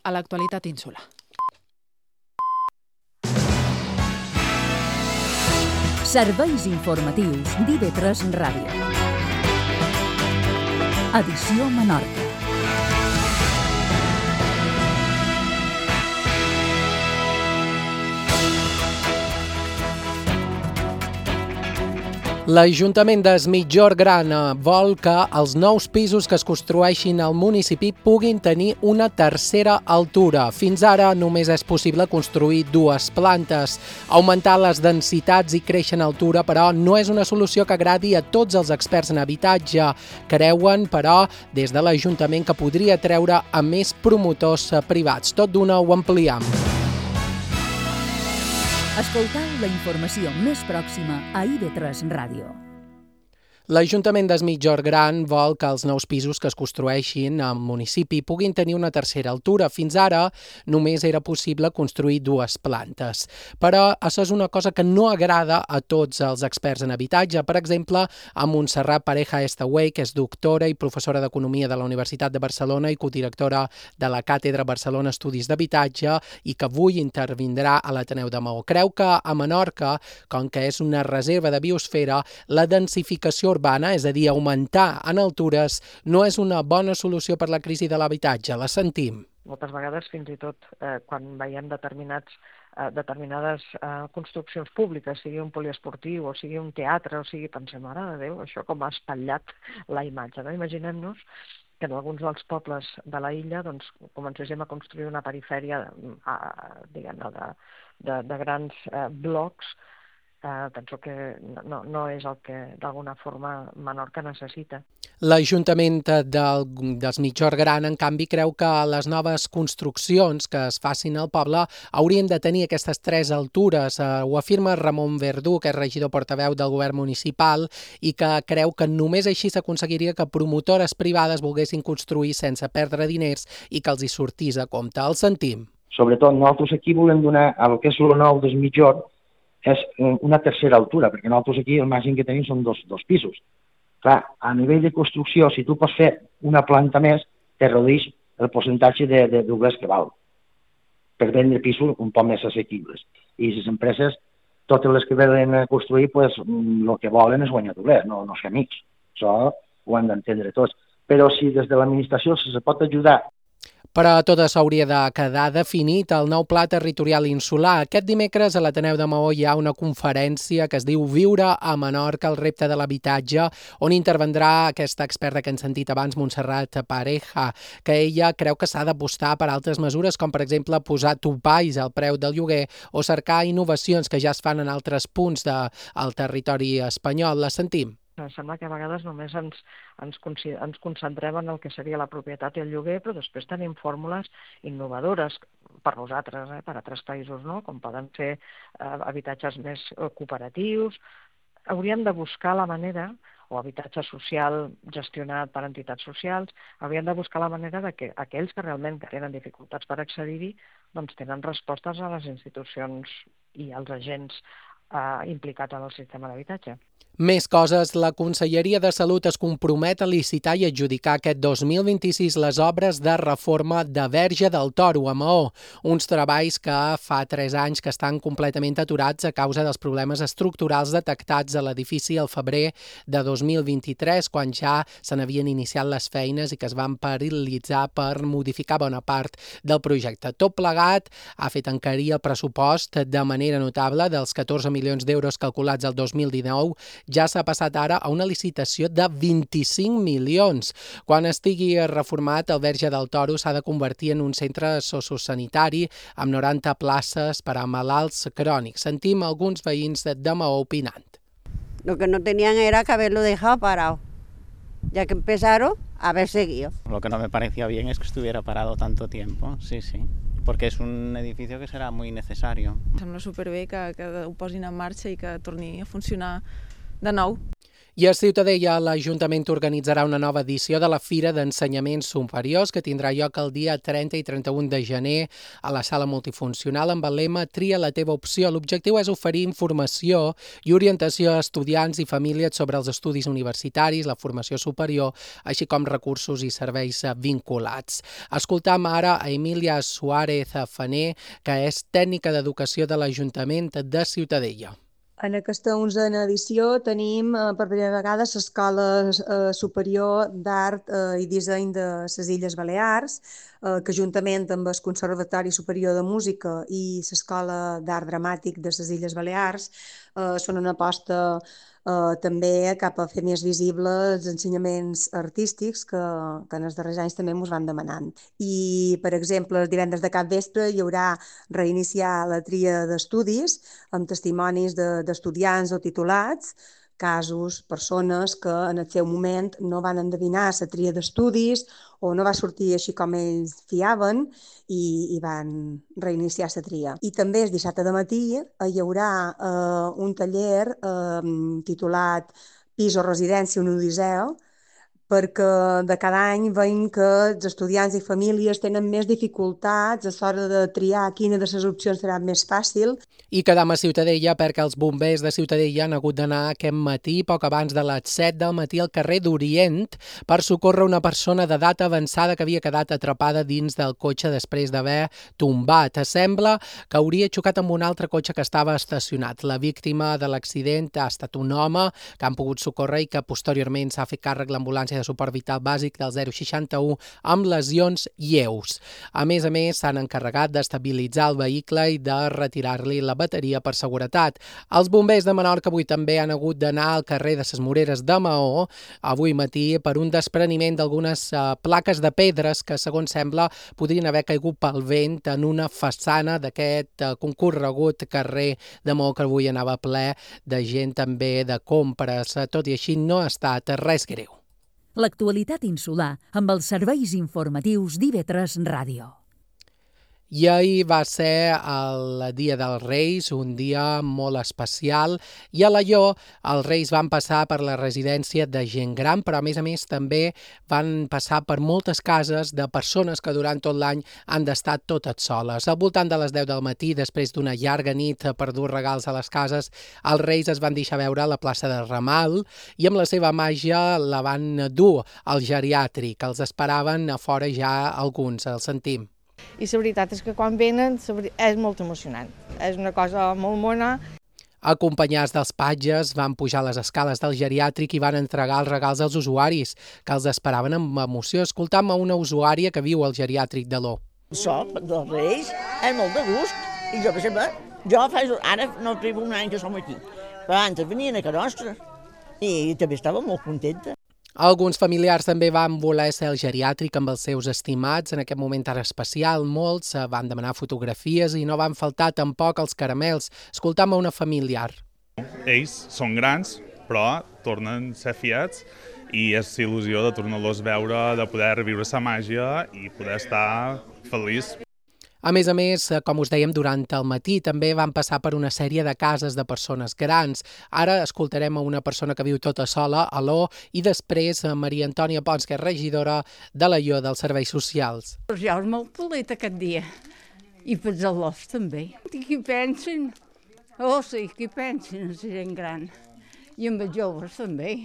a l'actualitat insular. Serveis informatius d'IV3 Ràdio. Edició Menorca. L'Ajuntament d'Es Migjorn Gran vol que els nous pisos que es construeixin al municipi puguin tenir una tercera altura. Fins ara només és possible construir 2 plantes. Augmentar les densitats i créixer en altura, però, no és una solució que agradi a tots els experts en habitatge. Creuen, però, des de l'Ajuntament que podria treure a més promotors privats. Tot d'una ho ampliem. Escoltau la informació més pròxima a IV3 Ràdio. L'Ajuntament d'Es Migjorn Gran vol que els nous pisos que es construeixin al municipi puguin tenir una tercera altura. Fins ara només era possible construir 2 plantes. Però això és una cosa que no agrada a tots els experts en habitatge. Per exemple, a Montserrat Pareja Estaway, que és doctora i professora d'Economia de la Universitat de Barcelona i codirectora de la Càtedra Barcelona Estudis d'Habitatge i que avui intervindrà a l'Ateneu de Maó. Creu que a Menorca, com que és una reserva de biosfera, la densificació urbana, és a dir, augmentar en altures, no és una bona solució per la crisi de l'habitatge. La sentim. Moltes vegades, fins i tot, quan veiem determinades construccions públiques, sigui un poliesportiu o sigui un teatre, o sigui, pensem, mare de Déu, això com ha espatllat la imatge. No? Imaginem-nos que en alguns dels pobles de la illa comencéssim a construir una perifèria de grans blocs. Penso que no és el que d'alguna forma Menorca necessita. L'Ajuntament d'Es Migjorn Gran, en canvi, creu que les noves construccions que es facin al poble haurien de tenir aquestes 3 altures. Ho afirma Ramon Verdú, que és regidor portaveu del govern municipal i que creu que només així s'aconseguiria que promotores privades volguessin construir sense perdre diners i que els hi sortís a compte. El sentim. Sobretot nosaltres aquí volem donar al que és el nou d'Es Migjorn és una tercera altura, perquè nosaltres aquí el màxim que tenim són dos pisos. Clar, a nivell de construcció, si tu pots fer una planta més, te redueix el percentatge de doblers que val, per vendre pisos un poc més assequibles. I les empreses, totes les que venen a construir, el que volen és guanyar doblers, no ser amics. Això ho han d'entendre tots. Però si des de l'administració se pot ajudar. Però tot això hauria de quedar definit al nou Pla Territorial Insular. Aquest dimecres a l'Ateneu de Maó hi ha una conferència que es diu Viure a Menorca, el repte de l'habitatge, on intervendrà aquesta experta que hem sentit abans, Montserrat Pareja, que ella creu que s'ha d'apostar per altres mesures, com per exemple posar topalls al preu del lloguer o cercar innovacions que ja es fan en altres punts del territori espanyol. La sentim. Sembla que a vegades només ens concentrem en el que seria la propietat i el lloguer, però després tenim fórmules innovadores per nosaltres, per altres països, no? Com poden ser habitatges més cooperatius. Hauríem de buscar la manera, o habitatge social gestionat per entitats socials, hauríem de buscar la manera de que aquells que realment tenen dificultats per accedir-hi tenen respostes a les institucions i als agents implicats en el sistema d'habitatge. Més coses. La Conselleria de Salut es compromet a licitar i adjudicar aquest 2026 les obres de reforma de Verge del Toro a Maó. Uns treballs que fa 3 anys que estan completament aturats a causa dels problemes estructurals detectats a l'edifici al febrer de 2023, quan ja se n'havien iniciat les feines i que es van paralitzar per modificar bona part del projecte. Tot plegat ha fet encarir el pressupost de manera notable. Dels 14 milions d'euros calculats el 2019, ja s'ha passat ara a una licitació de 25 milions. Quan estigui reformat, el Verge del Toro s'ha de convertir en un centre sociosanitari amb 90 places per a malalts crònics. Sentim alguns veïns de Maó opinant. Lo que no tenían era que haberlo dejado parado, ya que empezaron a haber seguido. Lo que no me parecía bien es que estuviera parado tanto tiempo, sí, porque es un edificio que serà muy necesario. Sembla superbé que ho posin en marxa i que torni a funcionar de nou. I a Ciutadella, l'Ajuntament organitzarà una nova edició de la Fira d'Ensenyaments Superiors que tindrà lloc el dia 30 i 31 de gener a la sala multifuncional amb el lema Tria la teva opció. L'objectiu és oferir informació i orientació a estudiants i famílies sobre els estudis universitaris, la formació superior, així com recursos i serveis vinculats. Escoltam ara a Emília Suárez Fané, que és tècnica d'educació de l'Ajuntament de Ciutadella. En aquesta 11a edició tenim per primera vegada l'Escola Superior d'Art i Disseny de les Illes Balears, que juntament amb el Conservatori Superior de Música i l'Escola d'Art Dramàtic de les Illes Balears són una aposta també cap a fer més visibles els ensenyaments artístics que en els darrers anys també ens van demanant. I, per exemple, el divendres de capvespre hi haurà reiniciar la tria d'estudis amb testimonis d'estudiants o titulats, casos, persones que en el seu moment no van endevinar la tria d'estudis o no va sortir així com ells fiaven i van reiniciar la tria. I també el dissabte de matí hi haurà un taller titulat Pis o residència, un odisseu, perquè de cada any veiem que els estudiants i famílies tenen més dificultats a l'hora de triar quina de les opcions serà més fàcil. I quedam a Ciutadella perquè els bombers de Ciutadella han hagut d'anar aquest matí, poc abans de les 7 del matí, al carrer d'Orient per socórrer una persona d'edat avançada que havia quedat atrapada dins del cotxe després d'haver tombat. Sembla que hauria xocat amb un altre cotxe que estava estacionat. La víctima de l'accident ha estat un home que han pogut socórrer i que posteriorment s'ha fet càrrec l'ambulància de suport vital bàsic del 061 amb lesions lleus. A més, s'han encarregat d'estabilitzar el vehicle i de retirar-li la bateria per seguretat. Els bombers de Menorca avui també han hagut d'anar al carrer de ses Moreres de Maó avui matí per un despreniment d'algunes plaques de pedres que, segons sembla, podrien haver caigut pel vent en una façana d'aquest concorregut carrer de Maó que avui anava ple de gent també de compres. Tot i així no ha estat res greu. L'actualitat insular amb els serveis informatius d'IV3 Ràdio. I ahir va ser el Dia dels Reis, un dia molt especial, i a Alaior els Reis van passar per la residència de gent gran, però a més també van passar per moltes cases de persones que durant tot l'any han d'estar totes soles. Al voltant de les 10 del matí, després d'una llarga nit per dur regals a les cases, els Reis es van deixar veure a la plaça de Ramal i amb la seva màgia la van dur al geriàtric. Els esperaven a fora ja alguns, els sentim. I la veritat és que quan venen és molt emocionant, és una cosa molt mona. Acompanyats dels patges, van pujar les escales del geriàtric i van entregar els regals als usuaris, que els esperaven amb emoció. Escoltam a una usuària que viu al geriàtric de l'O. Això, dels Reis, és molt de gust. I jo, per exemple, ara no tribo un any que som aquí, però abans venien a casa nostra i també estava molt contenta. Alguns familiars també van voler ser al geriàtric amb els seus estimats en aquest moment tan especial. Molts van demanar fotografies i no van faltar tampoc els caramels. Escoltam a una familiar. Ells són grans, però tornen a ser fiats i és il·lusió de tornar-los a veure, de poder viure la màgia i poder estar feliç. A més, com us dèiem, durant el matí també van passar per una sèrie de cases de persones grans. Ara escoltarem a una persona que viu tota sola a l'O i després a Maria Antònia Pons, que és regidora de l'Alaior dels Serveis Socials. Jo és molt polit aquest dia. I per els alòs també. I qui pensen? Sí, qui pensen en la gent gran. I amb els joves també.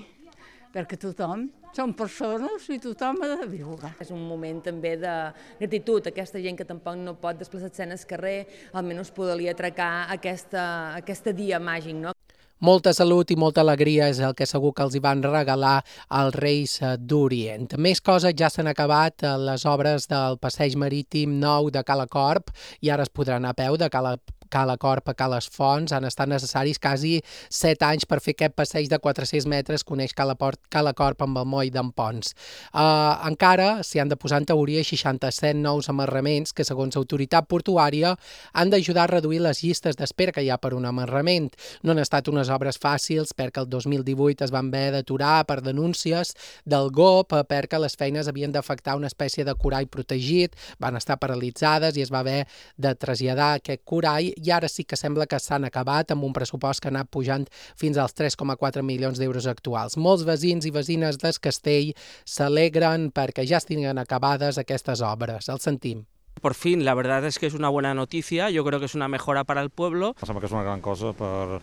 Perquè tothom són persones i tothom ha de viure. És un moment també de gratitud, aquesta gent que tampoc no pot desplaçar-se en el carrer, almenys poder-li atracar aquesta dia màgic, no? Molta salut i molta alegria és el que segur que els hi van regalar als Reis d'Orient. Més coses, ja s'han acabat les obres del passeig marítim nou de Cala Corp i ara es podrà anar a peu de Cala Corp a Cales Fonts. Han estat necessaris quasi 7 anys per fer aquest passeig de 400 metres que uneix Cala Corp amb el moll d'en Pons. Encara s'hi han de posar en teoria 67 nous amarraments que, segons l'autoritat portuària, han d'ajudar a reduir les llistes d'espera que hi ha per un amarrament. No han estat unes obres fàcils perquè el 2018 es van haver d'aturar per denúncies del GOP perquè les feines havien d'afectar una espècie de corall protegit, van estar paralitzades i es va haver de traslladar aquest corall i ara sí que sembla que s'han acabat amb un pressupost que ha anat pujant fins als 3,4 milions d'euros actuals. Molts veïns i veïnes del Castell s'alegren perquè ja estiguin acabades aquestes obres. El sentim. Por fin, la verdad es que es una buena noticia, yo creo que es una mejora para el pueblo. Em sembla que és una gran cosa per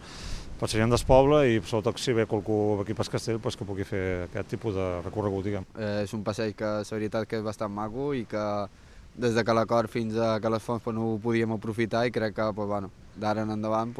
la gent del poble i sobretot si ve qualcú aquí pel Castell que pugui fer aquest tipus de recorregut, diguem. És un passeig que la veritat que és bastant maco i que des que l'acord fins a que les fonts no ho podíem aprofitar i crec que d'ara en endavant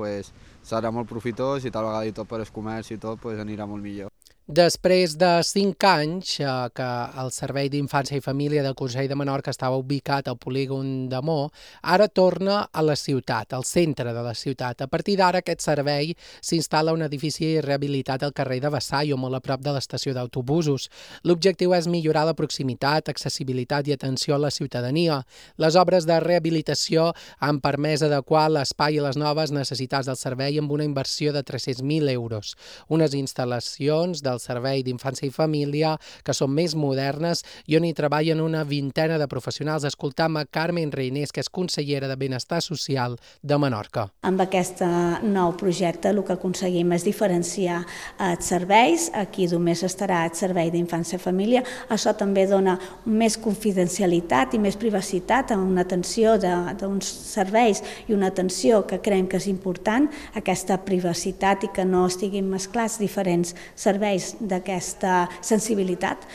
serà molt profitós i tal vegada i tot per el comerç i tot anirà molt millor. Després de 5 anys que el Servei d'Infància i Família del Consell de Menorca estava ubicat al polígon de Mo, ara torna a la ciutat, al centre de la ciutat. A partir d'ara aquest servei s'instal·la un edifici rehabilitat al carrer de Vassallo, molt a prop de l'estació d'autobusos. L'objectiu és millorar la proximitat, accessibilitat i atenció a la ciutadania. Les obres de rehabilitació han permès adequar l'espai a les noves necessitats del servei amb una inversió de 300.000 euros. Unes instal·lacions del Servei d'Infància i Família que són més modernes i on hi treballen una vintena de professionals. Escoltam a Carmen Reinés, que és consellera de Benestar Social de Menorca. Amb aquest nou projecte el que aconseguim és diferenciar els serveis. Aquí només estarà el Servei d'Infància i Família. Això també dona més confidencialitat i més privacitat a una atenció d'uns serveis i una atenció que creiem que és important, aquesta privacitat i que no estiguin mesclats diferents serveis d'aquesta sensibilitat.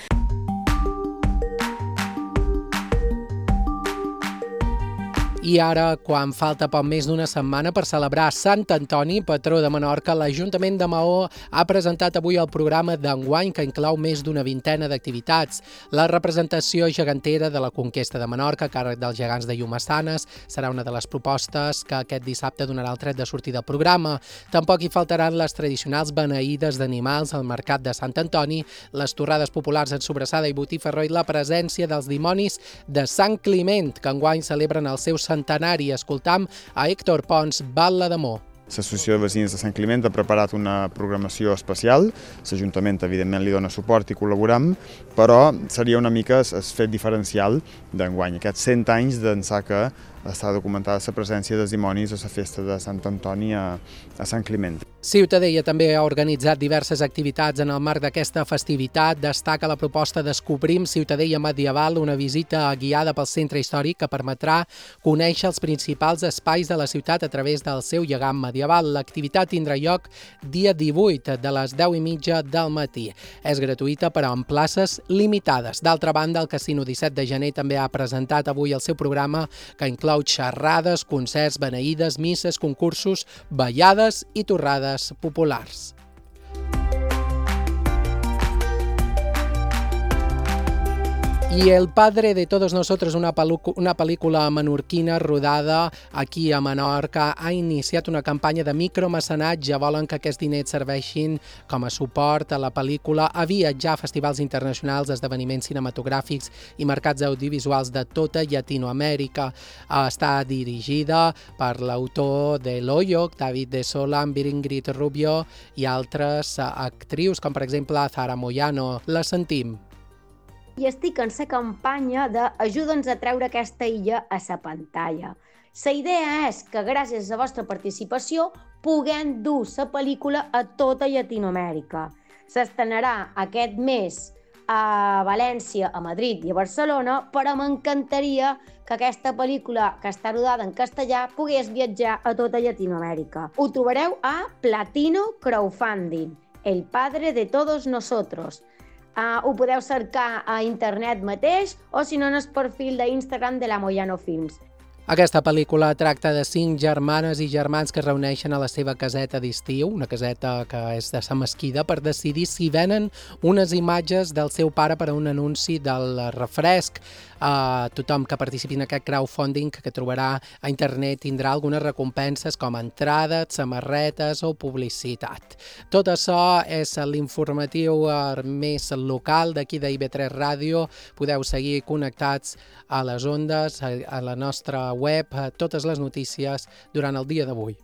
I ara, quan falta poc més d'una setmana per celebrar Sant Antoni, patró de Menorca, l'Ajuntament de Maó ha presentat avui el programa d'enguany que inclou més d'una vintena d'activitats. La representació gegantera de la conquesta de Menorca, a càrrec dels gegants de Llumassanes, serà una de les propostes que aquest dissabte donarà el tret de sortida del programa. Tampoc hi faltaran les tradicionals beneïdes d'animals al mercat de Sant Antoni, les torrades populars en sobrassada i botifarró i la presència dels dimonis de Sant Climent, que enguany celebren el seu centenari. Escoltam a Héctor Pons, Batlle de Mo. L'Associació de Veïns de Sant Climent ha preparat una programació especial. L'Ajuntament, evidentment, li dona suport i col·laboram, però seria una mica el fet diferencial d'enguany. Aquests 100 anys d'ençà que està documentada la presència dels dimonis a la festa de Sant Antoni a Sant Climent. Ciutadella també ha organitzat diverses activitats en el marc d'aquesta festivitat. Destaca la proposta Descobrim Ciutadella Medieval, una visita guiada pel centre històric que permetrà conèixer els principals espais de la ciutat a través del seu llegam medieval. L'activitat tindrà lloc dia 18 de les 10:30 del matí. És gratuïta però amb places limitades. D'altra banda, el Casino 17 de gener també ha presentat avui el seu programa que inclou xerrades, concerts, beneïdes, misses, concursos, ballades i torrades populars. Y El padre de todos nosotros, una pel·lícula menorquina rodada aquí a Menorca, ha iniciat una campanya de micromecenatge. Volen que aquests diners serveixin com a suport a la pel·lícula, a viatjar a festivals internacionals, esdeveniments cinematogràfics i mercats audiovisuals de tota Llatinoamèrica. Està dirigida per l'autor de L'Hoyo, David de Sola, Ingrid Rubio i altres actrius, com per exemple Zara Moyano. La sentim. I estic en la campanya d'Ajuda'ns a treure aquesta illa a la pantalla. La idea és que gràcies a la vostra participació puguem dur la pel·lícula a tota Llatinoamèrica. S'estrenarà aquest mes a València, a Madrid i a Barcelona, però m'encantaria que aquesta pel·lícula, que està rodada en castellà, pogués viatjar a tota Llatinoamèrica. Ho trobareu a Platino Crowdfunding, El padre de todos nosotros. Ho podeu cercar a internet mateix o, si no, en el perfil d'Instagram de la Moyano Films. Aquesta pel·lícula tracta de 5 germanes i germans que es reuneixen a la seva caseta d'estiu, una caseta que és de sa Mesquida, per decidir si venen unes imatges del seu pare per a un anunci del refresc. Tothom que participi en aquest crowdfunding que trobarà a internet tindrà algunes recompenses com entrades, samarretes o publicitat. Tot això és l'informatiu més local d'aquí d'IB3 Ràdio. Podeu seguir connectats a les ondes, a la nostra web, totes les notícies durant el dia d'avui.